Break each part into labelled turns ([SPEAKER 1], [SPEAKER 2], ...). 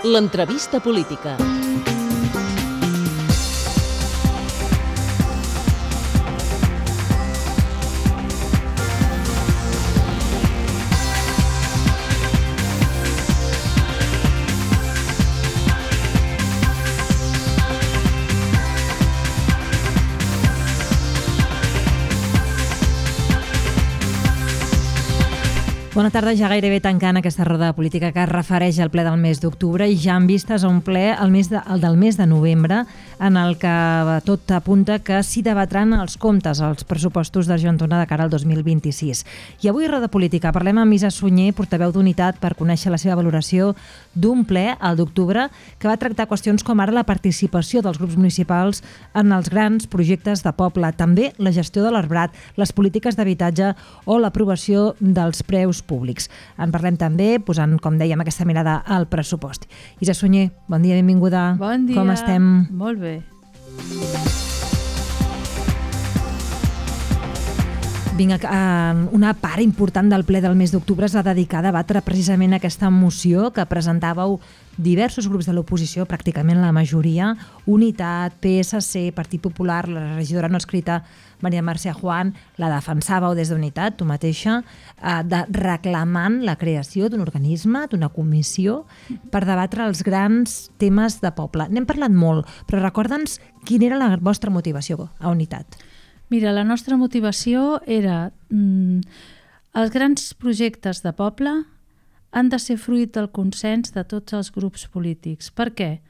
[SPEAKER 1] L'entrevista política.
[SPEAKER 2] Bona tarda, ja gairebé tancant aquesta roda de política que es refereix al ple del mes d'octubre i ja en vistes a un ple el del mes de novembre en el que tot apunta que s'hi debatran els comptes, els pressupostos d'Argentona de cara al 2026. I avui a roda política parlem amb Isa Sunyer, portaveu d'Unitat, per conèixer la seva valoració d'un ple, el d'octubre, que va tractar qüestions com ara la participació dels grups municipals en els grans projectes de poble, també la gestió de l'arbrat, les polítiques d'habitatge o l'aprovació dels preus públics. En parlem també posant, com dèiem, aquesta mirada al pressupost. Isa Sunyer, bon dia, benvinguda.
[SPEAKER 3] Bon dia.
[SPEAKER 2] Com estem?
[SPEAKER 3] Molt bé.
[SPEAKER 2] Vinga, una part important del ple del mes d'octubre s'ha dedicat a debatre precisament aquesta moció que presentàveu diversos grups de l'oposició, pràcticament la majoria, Unitat, PSC, Partit Popular, la regidora no escrita Maria Mercè Juan, la defensàveu des d'Unitat, tu mateixa, reclamant la creació d'un organisme, d'una comissió, per debatre els grans temes de poble. N'hem parlat molt, però recorda'ns quina era la vostra motivació a Unitat.
[SPEAKER 3] Mira, la nostra motivació era els grans projectes de poble han de ser fruit del consens de tots els grups polítics. Per què?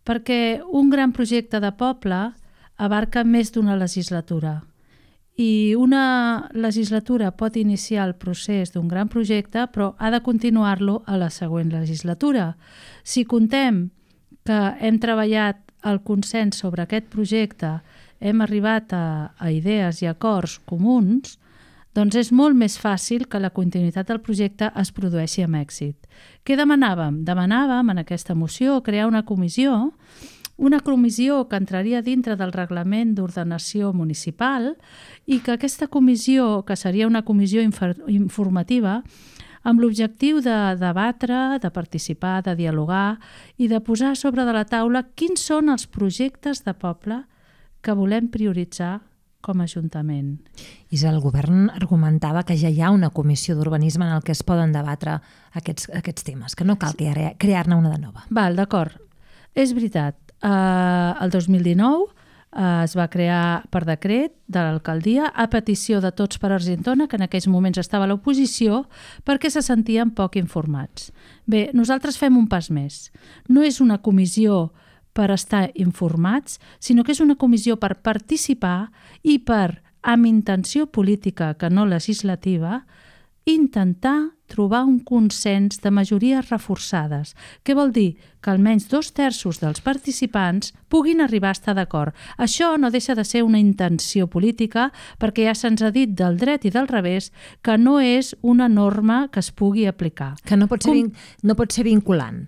[SPEAKER 3] Perquè un gran projecte de poble abarca més d'una legislatura i una legislatura pot iniciar el procés d'un gran projecte però ha de continuar-lo a la següent legislatura. Si contem que hem treballat el consens sobre aquest projecte, hem arribat a idees i acords comuns, doncs és molt més fàcil que la continuïtat del projecte es produeixi amb èxit. Què demanàvem? Demanàvem en aquesta moció crear una comissió que entraria dintre del reglament d'ordenació municipal i que aquesta comissió, que seria una comissió informativa, amb l'objectiu de debatre, de participar, de dialogar i de posar sobre de la taula quins són els projectes de poble que volem prioritzar com a Ajuntament.
[SPEAKER 2] Isa, el govern argumentava que ja hi ha una comissió d'urbanisme en el que es poden debatre aquests temes, que no cal crear-ne una de nova.
[SPEAKER 3] Val, d'acord. És veritat. El 2019 es va crear per decret de l'alcaldia a petició de Tots per Argentona, que en aquells moments estava a l'oposició, perquè se sentien poc informats. Bé, nosaltres fem un pas més. No és una comissió per estar informats, sinó que és una comissió per participar i per, amb intenció política que no legislativa, intentar trobar un consens de majories reforçades. Què vol dir? Que almenys 2/3 dels participants puguin arribar a estar d'acord. Això no deixa de ser una intenció política perquè ja se'ns ha dit del dret i del revés que no és una norma que es pugui aplicar.
[SPEAKER 2] Que no pot ser vinculant.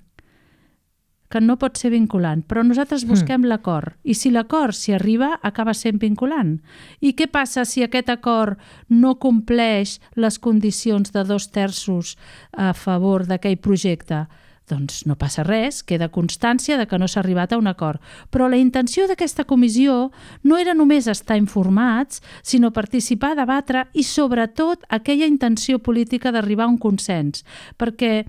[SPEAKER 3] Que no pot ser vinculant, però nosaltres busquem l'acord i si l'acord s'hi arriba acaba sent vinculant. I què passa si aquest acord no compleix les condicions de 2/3 a favor d'aquell projecte? Doncs no passa res, queda constància de que no s'ha arribat a un acord. Però la intenció d'aquesta comissió no era només estar informats, sinó participar, debatre i sobretot aquella intenció política d'arribar a un consens, perquè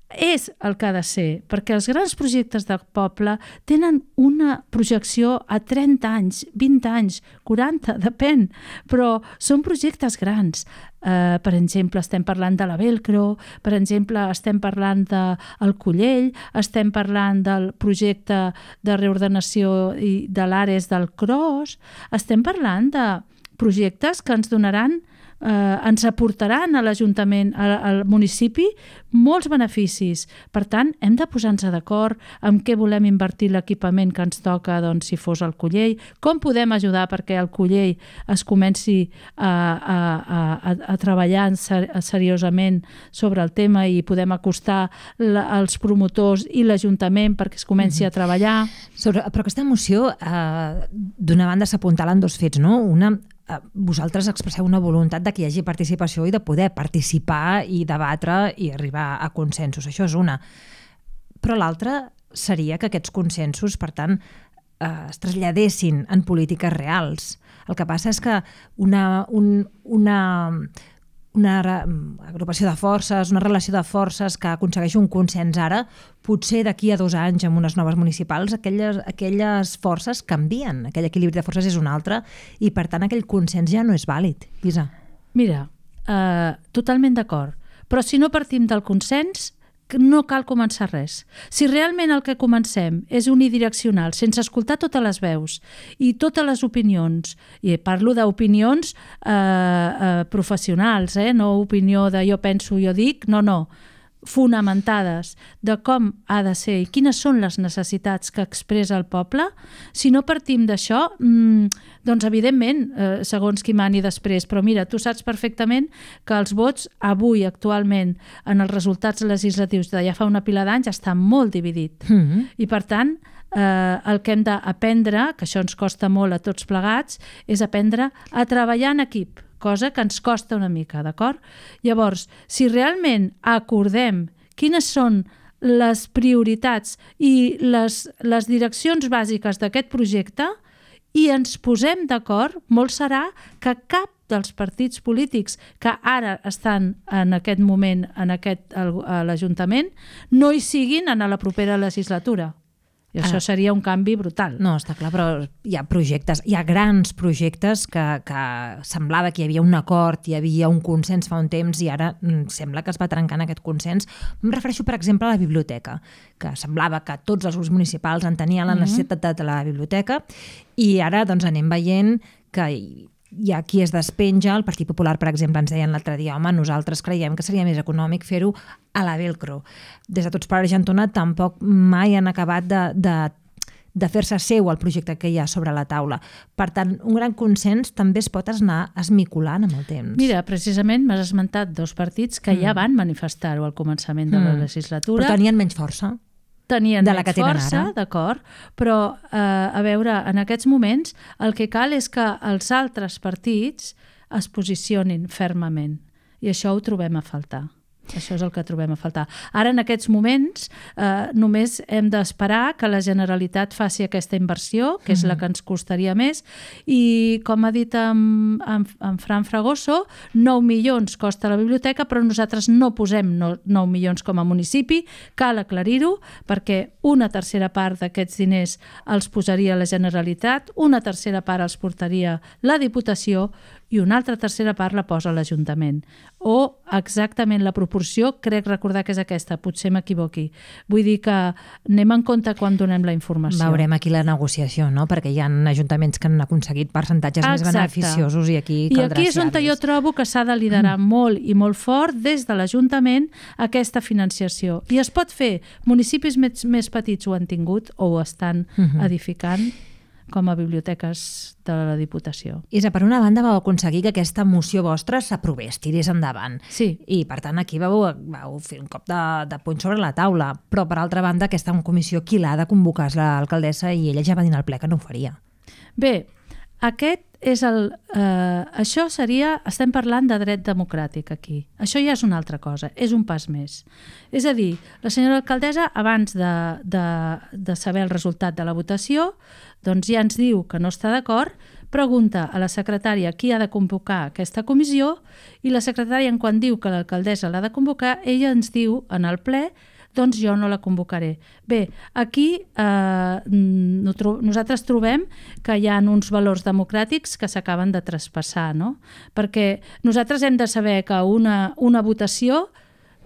[SPEAKER 3] és el que ha de ser, perquè els grans projectes de poble tenen una projecció a 30 anys, 20 anys, 40, depèn, però són projectes grans. Per exemple, estem parlant de la Velcro, per exemple, estem parlant del Collell, estem parlant del projecte de reordenació de l'Ares del Cros, estem parlant de projectes que ens donaran ens aportaran a l'Ajuntament, al municipi, molts beneficis. Per tant, hem de posar-nos d'acord amb què volem invertir l'equipament que ens toca, doncs, si fos el Collell, com podem ajudar perquè el Collell es comenci a treballar seriosament sobre el tema i podem acostar els promotors i l'Ajuntament perquè es comenci a treballar.
[SPEAKER 2] Però aquesta moció, d'una banda, s'apuntalen dos fets, no? Una, vosaltres expresseu una voluntat de que hi hagi participació i de poder participar i debatre i arribar a consensos. Això és una. Però l'altre seria que aquests consensos, per tant, es traslladessin en polítiques reals. El que passa és que una agrupació de forces, una relació de forces que aconsegueix un consens ara, potser d'aquí a 2 anys amb unes noves municipals, aquelles forces canvien, aquell equilibri de forces és un altre i per tant aquell consens ja no és vàlid. Lluïsa.
[SPEAKER 3] Mira, totalment d'acord, però si no partim del consens no cal començar res. Si realment el que comencem és unidireccional, sense escoltar totes les veus i totes les opinions, i parlo d'opinions professionals, no opinió de jo penso, jo dic, no, fonamentades de com ha de ser i quines són les necessitats que expressa el poble, si no partim d'això, doncs evidentment, segons qui mani després, però mira, tu saps perfectament que els vots avui, actualment, en els resultats legislatius de ja fa una pila d'anys, està molt dividit. I per tant, el que hem d'aprendre, que això ens costa molt a tots plegats, és aprendre a treballar en equip, cosa que ens costa una mica, d'acord? Llavors, si realment acordem quines són les prioritats i les direccions bàsiques d'aquest projecte i ens posem d'acord, molt serà que cap dels partits polítics que ara estan en aquest moment a l'Ajuntament no hi siguin en la propera legislatura. I això seria un canvi brutal.
[SPEAKER 2] No, està clar, però hi ha projectes, hi ha grans projectes que semblava que hi havia un acord, hi havia un consens fa un temps i ara sembla que es va trencant aquest consens. Em refereixo, per exemple, a la biblioteca, que semblava que tots els grups municipals entenien la necessitat de la biblioteca i ara doncs anem veient que hi ha qui es despenja. El Partit Popular, per exemple, ens deien l'altre dia, home, nosaltres creiem que seria més econòmic fer-ho a la Velcro. Des de Tots per Argentona tampoc mai han acabat de fer-se seu el projecte que hi ha sobre la taula. Per tant, un gran consens també es pot anar esmicolant amb el temps.
[SPEAKER 3] Mira, precisament m'has esmentat 2 partits que ja van manifestar-ho al començament de la legislatura.
[SPEAKER 2] Però tenien menys força.
[SPEAKER 3] Tenien menys força, d'acord, però a veure, en aquests moments el que cal és que els altres partits es posicionin fermament i això ho trobem a faltar. Això és el que trobem a faltar. Ara, en aquests moments, només hem d'esperar que la Generalitat faci aquesta inversió, que és la que ens costaria més, i, com ha dit en Fran Fragoso, 9 milions costa la biblioteca, però nosaltres no posem 9 milions com a municipi, cal aclarir-ho, perquè una tercera part d'aquests diners els posaria la Generalitat, una tercera part els portaria la Diputació i una altra tercera part la posa l'Ajuntament. O exactament la proporció, crec recordar que és aquesta, potser m'equivoqui. Vull dir que anem en compte quan donem la informació.
[SPEAKER 2] Veurem aquí la negociació, no? Perquè hi ha ajuntaments que han aconseguit percentatges més beneficiosos i aquí caldrà ser.
[SPEAKER 3] I aquí és on jo trobo que s'ha de liderar molt i molt fort des de l'Ajuntament aquesta financiació. I es pot fer. Municipis més petits ho han tingut o ho estan edificant com a biblioteques de la Diputació.
[SPEAKER 2] Isa, per una banda vau aconseguir que aquesta moció vostra s'aprovés, tirés endavant.
[SPEAKER 3] Sí.
[SPEAKER 2] I per tant aquí vau fer un cop de puny sobre la taula. Però per altra banda aquesta comissió qui l'ha de convocar és l'alcaldessa i ella ja va dir al ple que no ho faria.
[SPEAKER 3] Bé, aquest és això seria, estem parlant de dret democràtic aquí. Això ja és una altra cosa, és un pas més. És a dir, la senyora alcaldessa, abans de saber el resultat de la votació, doncs ja ens diu que no està d'acord, pregunta a la secretària qui ha de convocar aquesta comissió i la secretària, quan diu que l'alcaldessa l'ha de convocar, ella ens diu en el ple doncs jo no la convocaré. Bé, aquí nosaltres trobem que hi ha uns valors democràtics que s'acaben de traspassar, no? Perquè nosaltres hem de saber que una votació,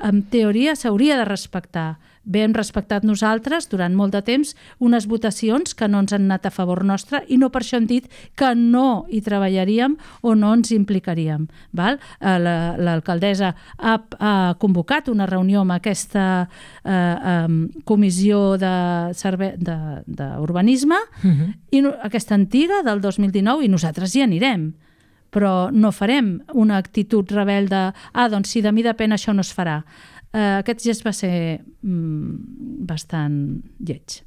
[SPEAKER 3] en teoria, s'hauria de respectar. Bé, hem respectat nosaltres durant molt de temps unes votacions que no ens han anat a favor nostre i no per això hem dit que no hi treballaríem o no ens implicaríem. L'alcaldessa ha convocat una reunió amb aquesta comissió d'urbanisme, i aquesta antiga del 2019, i nosaltres hi anirem. Però no farem una actitud rebel de doncs si de mi depèn això no es farà. Aquest gest va ser bastant lleig.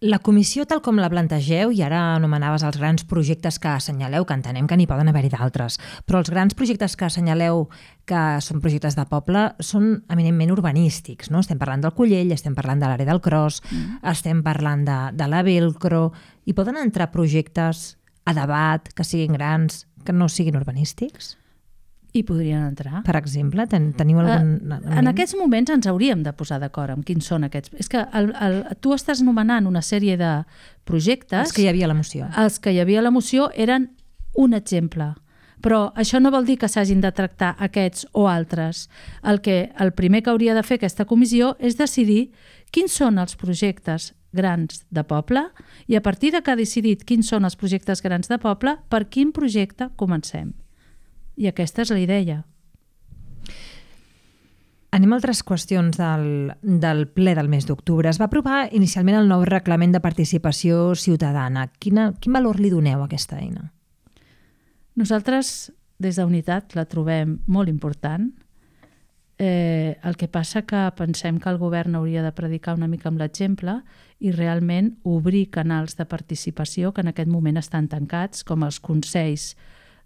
[SPEAKER 2] La comissió, tal com la plantegeu, i ara anomenaves els grans projectes que assenyaleu, que entenem que n'hi poden haver-hi d'altres, però els grans projectes que assenyaleu que són projectes de poble són eminentment urbanístics, no? Estem parlant del Collell, estem parlant de l'àrea del Cros, estem parlant de la Velcro, i poden entrar projectes a debat que siguin grans, que no siguin urbanístics?
[SPEAKER 3] Hi podrien entrar.
[SPEAKER 2] Per exemple, teniu algun...
[SPEAKER 3] En aquests moments ens hauríem de posar d'acord amb quins són aquests. És que tu estàs nomenant una sèrie de projectes...
[SPEAKER 2] Els que hi havia a la moció.
[SPEAKER 3] Els que hi havia a la moció eren un exemple. Però això no vol dir que s'hagin de tractar aquests o altres. El primer que hauria de fer aquesta comissió és decidir quins són els projectes grans de poble i a partir de que ha decidit quins són els projectes grans de poble, per quin projecte comencem. I aquesta és la idea.
[SPEAKER 2] Anem a altres qüestions del ple del mes d'octubre. Es va aprovar inicialment el nou reglament de participació ciutadana. Quin valor li doneu a aquesta eina?
[SPEAKER 3] Nosaltres, des d'Unitat, la trobem molt important. El que passa que pensem que el govern hauria de predicar una mica amb l'exemple i realment obrir canals de participació que en aquest moment estan tancats, com els consells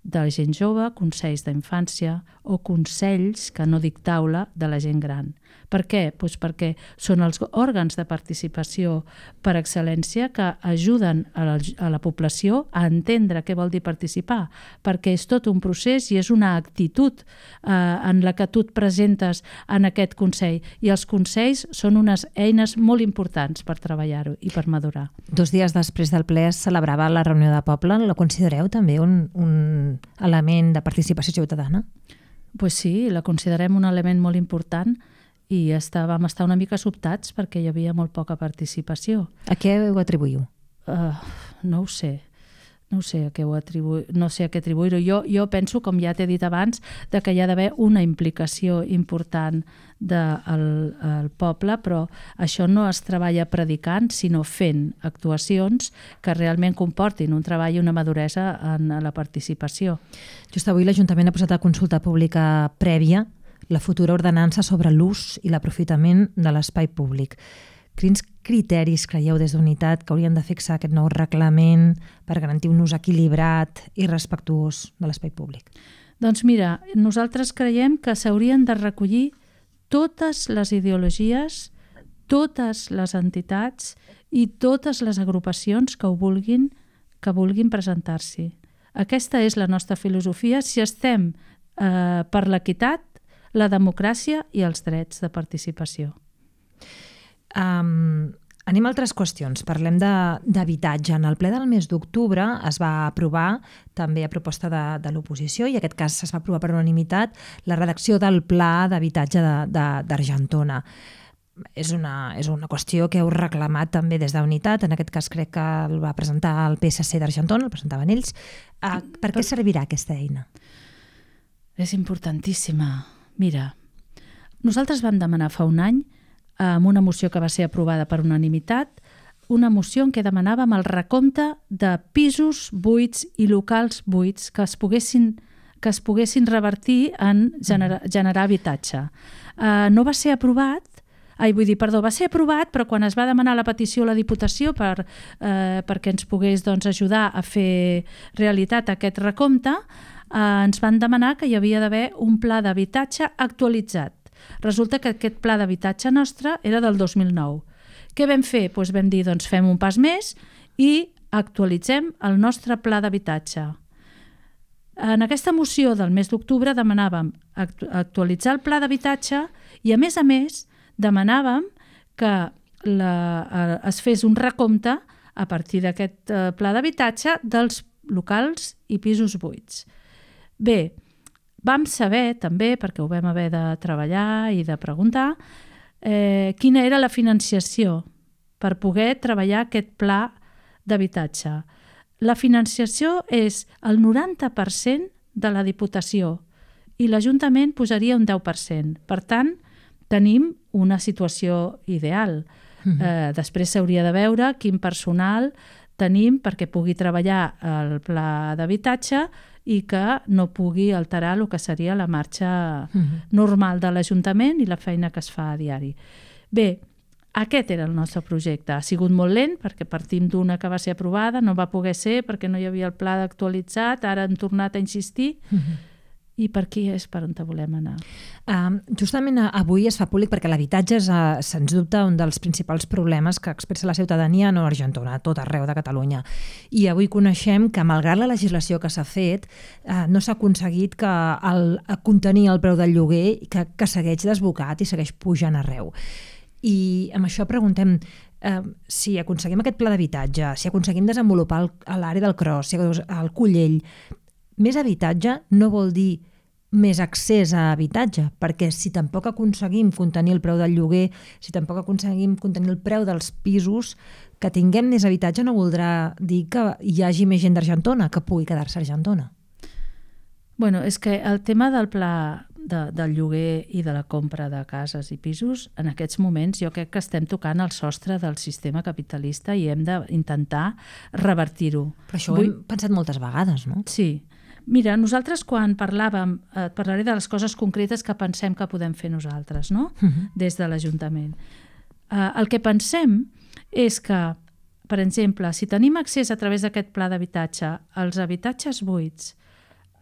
[SPEAKER 3] de la gent jove, consells d'infància o consells, que no dic taula, de la gent gran. Per què? Doncs perquè són els òrgans de participació per excel·lència que ajuden a la població a entendre què vol dir participar, perquè és tot un procés i és una actitud en la que tu et presentes en aquest consell. I els consells són unes eines molt importants per treballar-ho i per madurar.
[SPEAKER 2] 2 dies després del ple es celebrava la reunió de poble. La considereu també un element de participació ciutadana?
[SPEAKER 3] Pues sí, la considerem un element molt important i vam estar una mica sobtats perquè hi havia molt poca participació.
[SPEAKER 2] A què ho atribuïu?
[SPEAKER 3] No ho sé. No sé a què atribuir-ho. Jo penso, com ja t'he dit abans, que hi ha d'haver una implicació important del poble, però això no es treballa predicant, sinó fent actuacions que realment comportin un treball i una maduresa en la participació.
[SPEAKER 2] Just avui l'Ajuntament ha posat a consulta pública prèvia la futura ordenança sobre l'ús i l'aprofitament de l'espai públic. Quins criteris creieu des d'Unitat que haurien de fixar aquest nou reglament per garantir un ús equilibrat i respectuós de l'espai públic?
[SPEAKER 3] Doncs mira, nosaltres creiem que s'haurien de recollir totes les ideologies, totes les entitats i totes les agrupacions que vulguin presentar-s'hi. Aquesta és la nostra filosofia si estem per l'equitat, la democràcia i els drets de participació.
[SPEAKER 2] Anem a altres qüestions. Parlem d'habitatge. En el ple del mes d'octubre es va aprovar, també a proposta de l'oposició, i en aquest cas es va aprovar per unanimitat, la redacció del Pla d'Habitatge d'Argentona. És una qüestió que heu reclamat també des d'Unitat. En aquest cas crec que el va presentar el PSC d'Argentona, el presentaven ells. Per què servirà aquesta eina?
[SPEAKER 3] És importantíssima. Mira, nosaltres vam demanar fa un any, amb una moció que va ser aprovada per unanimitat, una moció en què demanàvem el recompte de pisos buits i locals buits que es poguessin revertir en generar habitatge. No va ser aprovat, va ser aprovat, però quan es va demanar la petició a la Diputació perquè ens pogués ajudar a fer realitat aquest recompte, ens van demanar que hi havia d'haver un pla d'habitatge actualitzat. Resulta que aquest pla d'habitatge nostre era del 2009. Què vam fer? Doncs vam dir, fem un pas més i actualitzem el nostre pla d'habitatge. En aquesta moció del mes d'octubre demanàvem actualitzar el pla d'habitatge i, a més, demanàvem que es fes un recompte a partir d'aquest pla d'habitatge dels locals i pisos buits. Bé, vam saber també, perquè ho vam haver de treballar i de preguntar, quina era la financiació per poder treballar aquest pla d'habitatge. La financiació és el 90% de la Diputació i l'Ajuntament posaria un 10%. Per tant, tenim una situació ideal. Després s'hauria de veure quin personal tenim perquè pugui treballar el pla d'habitatge i que no pugui alterar el que seria la marxa normal de l'Ajuntament i la feina que es fa a diari. Bé, Aquest era el nostre projecte. Ha sigut molt lent perquè partim d'una que va ser aprovada, no va poder ser perquè no hi havia el pla actualitzat, ara han tornat a insistir. I per aquí és per on volem anar.
[SPEAKER 2] Justament avui es fa públic perquè l'habitatge és, sens dubte, un dels principals problemes que expressa la ciutadania no argentona, a tot arreu de Catalunya. I avui coneixem que, malgrat la legislació que s'ha fet, no s'ha aconseguit contenir el preu del lloguer, que segueix desbocat i segueix pujant arreu. I amb això preguntem si aconseguim aquest pla d'habitatge, si aconseguim desenvolupar l'àrea del Cros, el Collell, més habitatge no vol dir més accés a habitatge, perquè si tampoc aconseguim contenir el preu del lloguer, si tampoc aconseguim contenir el preu dels pisos, que tinguem més habitatge no voldrà dir que hi hagi més gent d'Argentona, que pugui quedar-se a Argentona.
[SPEAKER 3] Bueno, és que el tema del pla del lloguer i de la compra de cases i pisos, en aquests moments jo crec que estem tocant el sostre del sistema capitalista i hem d'intentar revertir-ho.
[SPEAKER 2] Però això ho hem pensat moltes vegades, no?
[SPEAKER 3] Sí. Mira, nosaltres quan parlàvem, et parlaré de les coses concretes que pensem que podem fer nosaltres, no? Des de l'Ajuntament. El que pensem és que, per exemple, si tenim accés a través d'aquest pla d'habitatge als habitatges buits,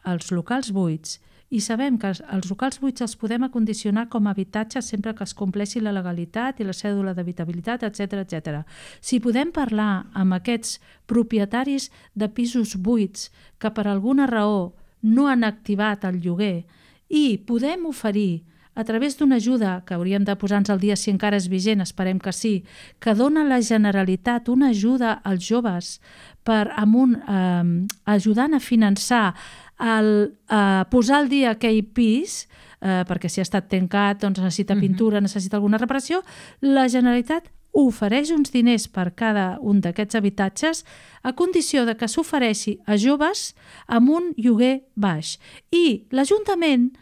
[SPEAKER 3] als locals buits, i sabem que els locals buits els podem acondicionar com a habitatge sempre que es compleixi la legalitat i la cèdula d'habitabilitat, etc etc. Si podem parlar amb aquests propietaris de pisos buits que per alguna raó no han activat el lloguer i podem oferir a través d'una ajuda, que hauríem de posar-nos al dia si encara és vigent, esperem que sí, que dona la Generalitat una ajuda als joves ajudant a finançar posar al dia aquell pis, perquè si ha estat tancat doncs necessita pintura, necessita alguna reparació, la Generalitat ofereix uns diners per cada un d'aquests habitatges a condició de que s'ofereixi a joves amb un lloguer baix. I l'Ajuntament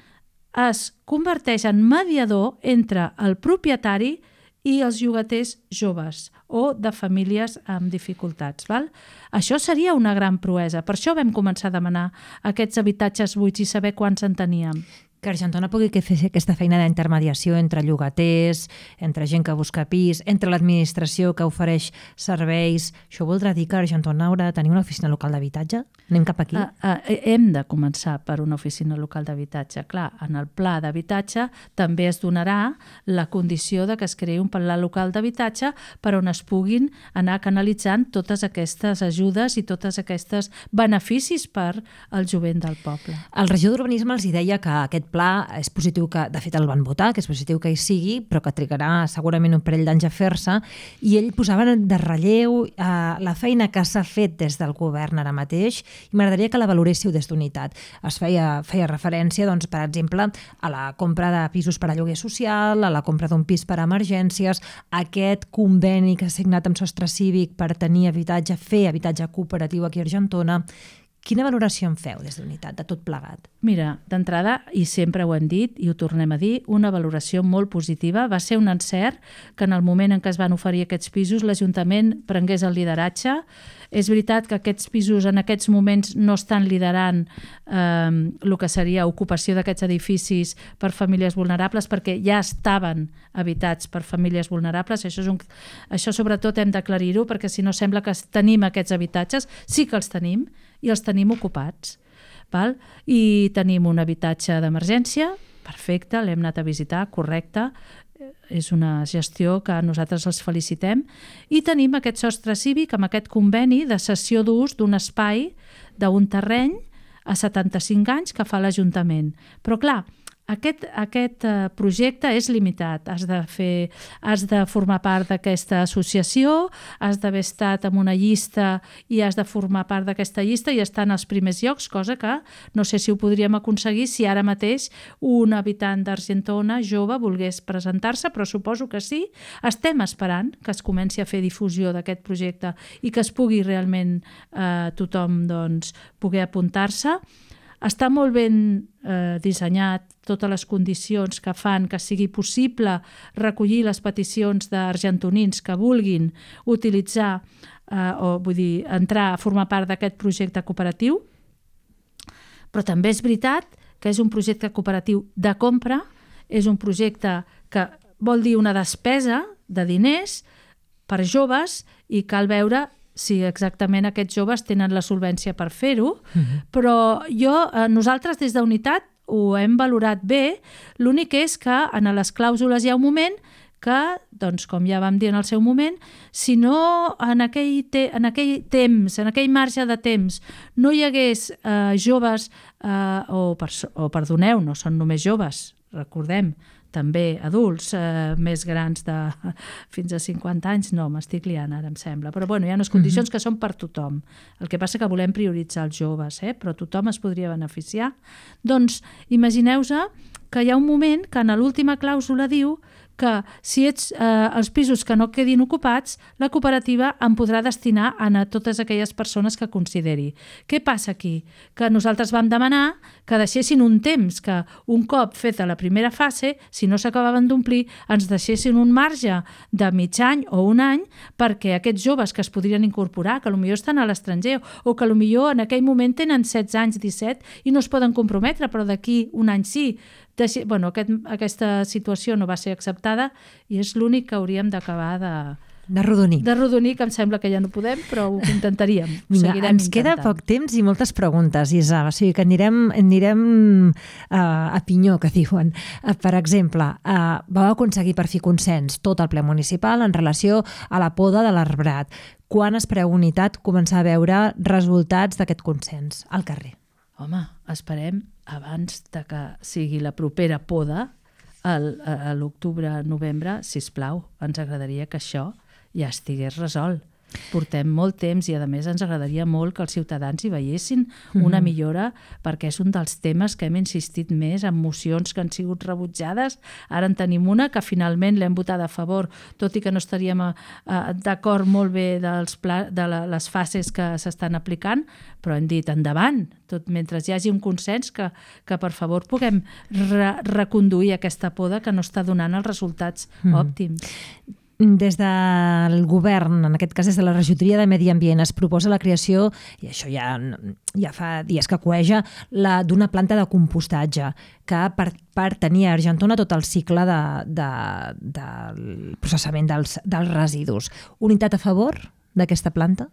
[SPEAKER 3] es converteix en mediador entre el propietari i els llogaters joves o de famílies amb dificultats. Val? Això seria una gran proesa. Per això vam començar a demanar aquests habitatges buits i saber quants en teníem.
[SPEAKER 2] Que Argentona pugui fer aquesta feina d'intermediació entre llogaters, entre gent que busca pis, entre l'administració que ofereix serveis. Això voldrà dir que Argentona haurà de tenir una oficina local d'habitatge? Anem cap aquí?
[SPEAKER 3] Hem de començar per una oficina local d'habitatge. Clar, en el pla d'habitatge també es donarà la condició de que es creï un pla local d'habitatge per on es puguin anar canalitzant totes aquestes ajudes i totes aquestes beneficis per al jovent del poble.
[SPEAKER 2] El regidor d'Urbanisme els deia que aquest pla és positiu, que de fet el van votar, que és positiu que hi sigui, però que trigarà segurament un parell d'anys a fer-se, i ell posava de relleu la feina que s'ha fet des del govern ara mateix, i m'agradaria que la valoréssiu des d'Unitat. Es feia referència, doncs, per exemple, a la compra de pisos per a lloguer social, a la compra d'un pis per a emergències, aquest conveni que ha signat amb Sostre Cívic per tenir habitatge, fer habitatge cooperatiu aquí a Argentona. Quina valoració en feu des d'Unitat, de tot plegat?
[SPEAKER 3] Mira, d'entrada, i sempre ho hem dit i ho tornem a dir, una valoració molt positiva. Va ser un encert que en el moment en què es van oferir aquests pisos l'Ajuntament prengués el lideratge. És veritat que aquests pisos en aquests moments no estan liderant el que seria ocupació d'aquests edificis per famílies vulnerables, perquè ja estaven habitats per famílies vulnerables. Això sobretot hem d'aclarir-ho, perquè si no sembla que tenim aquests habitatges. Sí que els tenim, i els tenim ocupats. Val? I tenim un habitatge d'emergència, perfecte, l'hem anat a visitar, correcte, és una gestió que nosaltres els felicitem, i tenim aquest Sostre Cívic amb aquest conveni de cessió d'ús d'un espai, d'un terreny a 75 anys que fa l'Ajuntament. Però clar, aquest projecte és limitat. Has de formar part d'aquesta associació, has d'haver estat en una llista i has de formar part d'aquesta llista i estar en els primers llocs, cosa que no sé si ho podríem aconseguir si ara mateix un habitant d'Argentona jove volgués presentar-se, però suposo que sí. Estem esperant que es comenci a fer difusió d'aquest projecte i que es pugui realment tothom poder apuntar-se. Està molt ben dissenyat, totes les condicions que fan que sigui possible recollir les peticions d'argentonins que vulguin utilitzar entrar a formar part d'aquest projecte cooperatiu. Però també és veritat que és un projecte cooperatiu de compra, és un projecte que vol dir una despesa de diners per joves i cal veure si exactament aquests joves tenen la solvència per fer-ho, però nosaltres des d'Unitat ho hem valorat bé, l'únic és que en les clàusules hi ha un moment que, doncs, com ja vam dir en el seu moment, si no en aquell temps, en aquell marge de temps, no hi hagués joves, perdoneu, no són només joves, recordem, també adults més grans de fins a 50 anys, no, m'estic liant ara, em sembla. Però bueno, hi ha unes condicions que són per tothom. El que passa que volem prioritzar els joves, però tothom es podria beneficiar. Doncs imagineu-vos que hi ha un moment que en l'última clàusula diu que si ets els pisos que no quedin ocupats, la cooperativa en podrà destinar a totes aquelles persones que consideri. Què passa aquí? Que nosaltres vam demanar que deixessin un temps, que un cop feta la primera fase, si no s'acabaven d'omplir, ens deixessin un marge de mig any o un any perquè aquests joves que es podrien incorporar, que potser estan a l'estranger o que potser en aquell moment tenen 16 anys, 17 i no es poden comprometre, però d'aquí un any sí. Bueno, aquesta situació no va ser acceptada i és l'únic que hauríem d'acabar
[SPEAKER 2] d'arrodonir.
[SPEAKER 3] D'arrodonir, que em sembla que ja no podem, però ho intentaríem.
[SPEAKER 2] Vinga, ens queda poc temps i moltes preguntes, Isa, o sigui que anirem a pinyó, que diuen. Per exemple, vau aconseguir per fi consens tot el ple municipal en relació a la poda de l'arbrat. Quan espereu Unitat començar a veure resultats d'aquest consens al carrer?
[SPEAKER 3] Home, esperem abans de que sigui la propera poda a l'octubre-novembre, sisplau, ens agradaria que això ja estigués resolt. Portem molt temps i a més ens agradaria molt que els ciutadans hi veiessin una millora, perquè és un dels temes que hem insistit més en mocions que han sigut rebutjades. Ara en tenim una que finalment l'hem votat a favor, tot i que no estaríem d'acord molt bé de les fases que s'estan aplicant, però hem dit endavant, tot mentre hi hagi un consens que per favor puguem reconduir aquesta poda que no està donant els resultats òptims.
[SPEAKER 2] Des del govern, en aquest cas des de la regidoria de Medi Ambient, es proposa la creació, i això ja fa dies que cueja, d'una planta de compostatge que per tenir a Argentona tot el cicle del processament dels residus. Unitat a favor d'aquesta planta?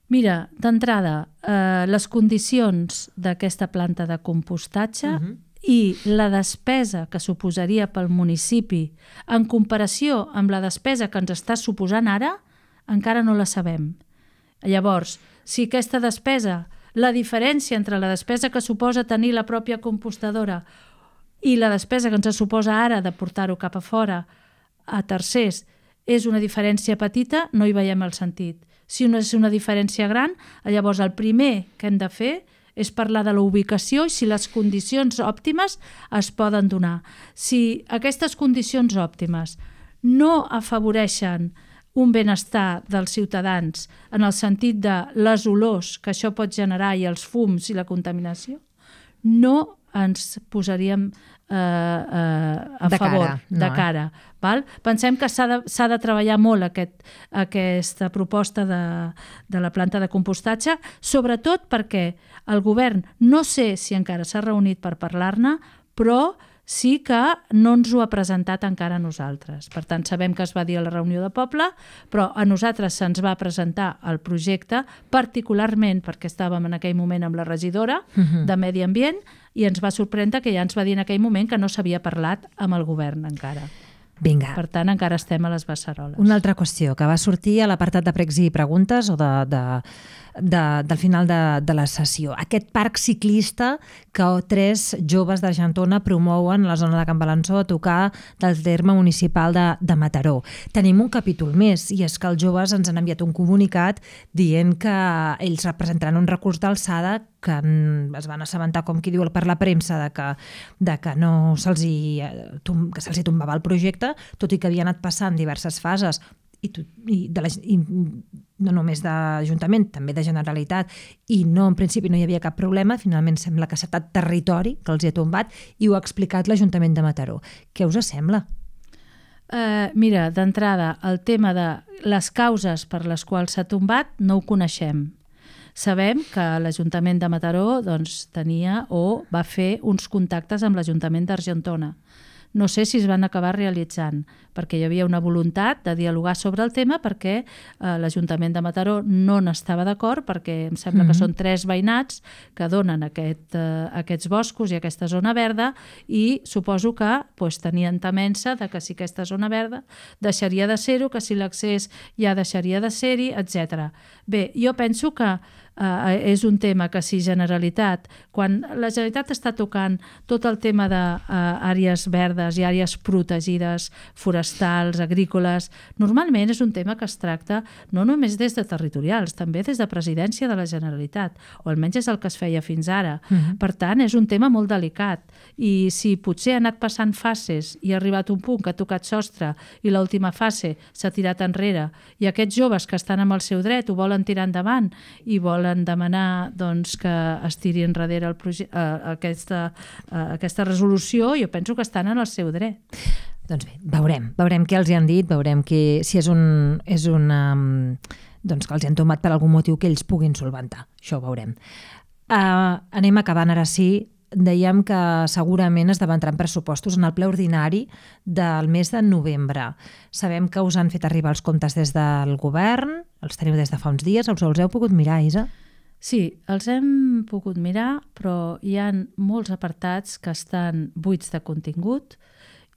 [SPEAKER 3] Mira, d'entrada, les condicions d'aquesta planta de compostatge i la despesa que suposaria pel municipi en comparació amb la despesa que ens està suposant ara, encara no la sabem. Llavors, si aquesta despesa, la diferència entre la despesa que suposa tenir la pròpia compostadora i la despesa que ens suposa ara de portar-ho cap a fora a tercers és una diferència petita, no hi veiem el sentit. Si no és una diferència gran, llavors el primer que hem de fer és parlar de la ubicació i si les condicions òptimes es poden donar. Si aquestes condicions òptimes no afavoreixen un benestar dels ciutadans en el sentit de les olors que això pot generar i els fums i la contaminació, no ens posaríem a favor, de cara. Val? Pensem que s'ha de treballar molt aquesta proposta de la planta de compostatge, sobretot perquè el govern, no sé si encara s'ha reunit per parlar-ne, però sí que no ens ho ha presentat encara a nosaltres. Per tant, sabem que es va dir a la reunió de poble, però a nosaltres se'ns va presentar el projecte, particularment perquè estàvem en aquell moment amb la regidora de Medi Ambient, i ens va sorprendre que ja ens va dir en aquell moment que no s'havia parlat amb el govern encara.
[SPEAKER 2] Vinga.
[SPEAKER 3] Per tant, encara estem a les beceroles.
[SPEAKER 2] Una altra qüestió que va sortir a l'apartat de pregs i preguntes o del final de la sessió. Aquest parc ciclista que 3 joves d'Argentona promouen a la zona de Can Balançó a tocar del terme municipal de Mataró. Tenim un capítol més i és que els joves ens han enviat un comunicat dient que ells representaran un recurs d'alçada que es van assabentar, com qui diu, per la premsa de que no se'ls tombava el projecte, tot i que havia anat passant diverses fases i no només d'Ajuntament, també de Generalitat, i no, en principi no hi havia cap problema. Finalment sembla que s'ha estat territori que els hi ha tombat i ho ha explicat l'Ajuntament de Mataró. Què us sembla?
[SPEAKER 3] Mira, d'entrada, el tema de les causes per les quals s'ha tombat no ho coneixem. Sabem que l'Ajuntament de Mataró tenia o va fer uns contactes amb l'Ajuntament d'Argentona. no sé si es van acabar realitzant, perquè hi havia una voluntat de dialogar sobre el tema, perquè l'Ajuntament de Mataró no n'estava d'acord, perquè em sembla que són 3 veïnats que donen aquests boscos i aquesta zona verda, i suposo que tenien temença de que si aquesta zona verda deixaria de ser-ho, que si l'accés ja deixaria de ser-hi, etc. Bé, jo penso que és un tema que si Generalitat, quan la Generalitat està tocant tot el tema d'àrees verdes i àrees protegides, forestals, agrícoles, normalment és un tema que es tracta no només des de territorials, també des de Presidència de la Generalitat, o almenys és el que es feia fins ara. Per tant, és un tema molt delicat, i si potser ha anat passant fases i ha arribat un punt que ha tocat sostre i l'última fase s'ha tirat enrere, i aquests joves que estan amb el seu dret ho volen tirar endavant i volen demanar que es tiri enrere aquesta resolució, jo penso que estan en el seu dret.
[SPEAKER 2] Doncs bé, veurem què els hi han dit, veurem si és una doncs que els hi han tomat per algun motiu que ells puguin solventar. Això ho veurem. Anem acabant ara sí. Dèiem que segurament es debatran pressupostos en el ple ordinari del mes de novembre. Sabem que us han fet arribar els comptes des del govern, els teniu des de fa uns dies, els heu pogut mirar, Isa?
[SPEAKER 3] Sí, els hem pogut mirar, però hi ha molts apartats que estan buits de contingut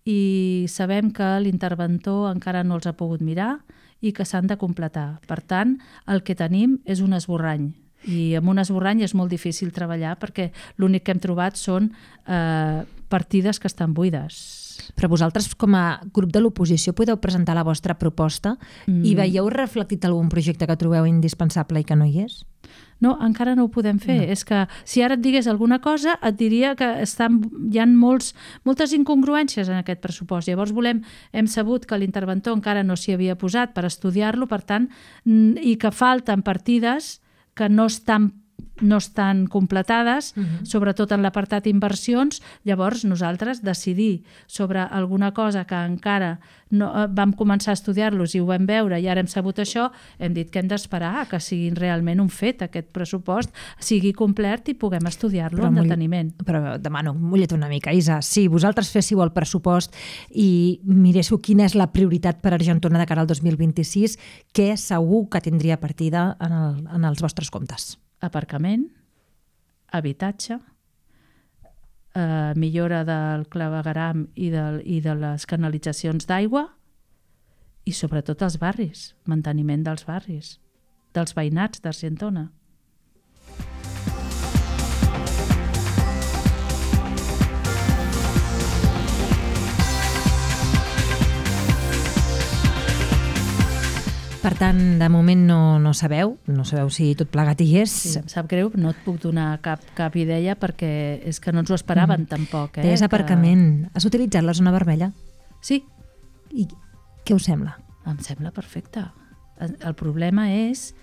[SPEAKER 3] i sabem que l'interventor encara no els ha pogut mirar i que s'han de completar. Per tant, el que tenim és un esborrany. I amb un esborrany és molt difícil treballar perquè l'únic que hem trobat són partides que estan buides.
[SPEAKER 2] Però vosaltres, com a grup de l'oposició, podeu presentar la vostra proposta i veieu reflectit algun projecte que trobeu indispensable i que no hi és?
[SPEAKER 3] No, encara no ho podem fer. No. És que si ara et digués alguna cosa, et diria que hi ha moltes incongruències en aquest pressupost. Llavors hem sabut que l'interventor encara no s'hi havia posat per estudiar-lo, per tant, i que falten partides que no estan completades, sobretot en l'apartat inversions. Llavors nosaltres decidir sobre alguna cosa que encara no vam començar a estudiar-los i ho vam veure i ara hem sabut això, hem dit que hem d'esperar que sigui realment un fet, aquest pressupost sigui complet i puguem estudiar-lo amb deteniment.
[SPEAKER 2] Però demano, mulla't una mica, Isa, si vosaltres féssiu el pressupost i miréssiu quina és la prioritat per Argentona de cara al 2026, què segur que tindria partida en els vostres comptes?
[SPEAKER 3] Aparcament, habitatge, millora del clavegueram i de les canalitzacions d'aigua i sobretot els barris, manteniment dels barris, dels veïnats d'Argentona.
[SPEAKER 2] Per tant, de moment no sabeu si tot plegat hi és.
[SPEAKER 3] Sí, em sap greu, no et puc donar cap idea perquè és que no ens ho esperaven tampoc.
[SPEAKER 2] Deies aparcament. Has utilitzat la zona vermella?
[SPEAKER 3] Sí.
[SPEAKER 2] I què us sembla?
[SPEAKER 3] Em sembla perfecte. El problema és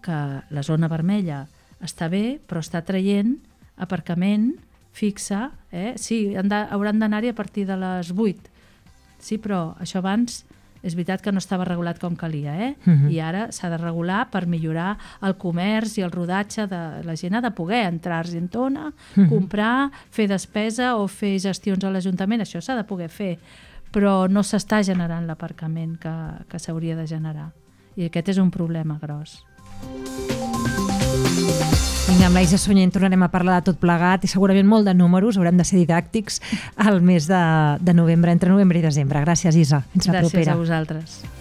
[SPEAKER 3] que la zona vermella està bé, però està traient aparcament fixe. Sí, hauran d'anar-hi a partir de les 8. Sí, però això abans és veritat que no estava regulat com calia, i ara s'ha de regular per millorar el comerç i el rodatge de la gent. Ha de poder entrar a Argentona, comprar, fer despesa o fer gestions a l'Ajuntament, això s'ha de poder fer, però no s'està generant l'aparcament que s'hauria de generar, i aquest és un problema gros.
[SPEAKER 2] Vinga, amb la Isa Sunyent tornarem a parlar de tot plegat i segurament molt de números, haurem de ser didàctics al mes de novembre, entre novembre i desembre. Gràcies, Isa. Fins la propera.
[SPEAKER 3] Gràcies a vosaltres.